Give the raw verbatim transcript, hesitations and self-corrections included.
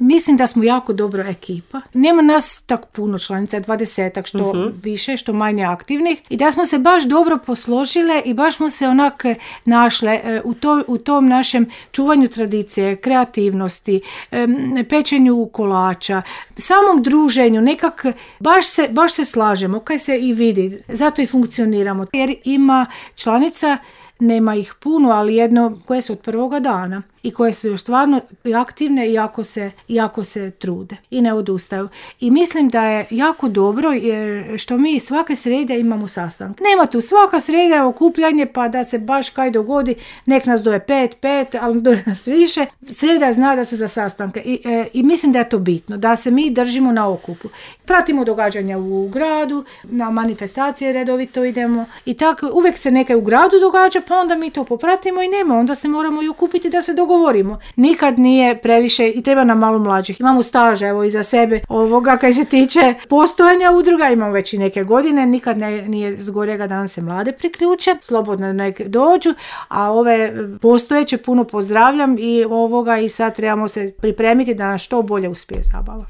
mislim da smo jako dobra ekipa. Nema nas tako puno članica, dvadesetak, što uh-huh. više, što manje aktivnih. I da smo se baš dobro posložile i baš smo se onak našle u, to, u tom našem čuvanju tradicije, kreativnosti, pečenju kolača, samom druženju, nekak baš se, baš se slažemo, kaj se i vidi. Zato i funkcioniramo. Jer ima članica, nema ih puno, ali jedno koje su od prvoga dana i koje su još stvarno aktivne i jako se, jako se trude i ne odustaju. I mislim da je jako dobro jer što mi svake srede imamo sastanak. Nema tu svaka sreda je okupljanje pa da se baš kaj dogodi, nek nas doje pet, pet, ali doje nas više. Sreda zna da su za sastanke I, e, i mislim da je to bitno, da se mi držimo na okupu. Pratimo događanja u gradu, na manifestacije redovito idemo i tako uvijek se neke u gradu događa, pa onda mi to popratimo i nema, onda se moramo i okupiti da se dogovorimo. Nikad nije previše i treba nam malo mlađih. Imamo staž, evo, iza sebe ovoga kaj se tiče postojanja udruga, imamo već i neke godine, nikad ne, nije zgorega da nam se mlade priključe, slobodno nek dođu, a ove postojeće puno pozdravljam i ovoga i sad trebamo se pripremiti da nas što bolje uspije zabava.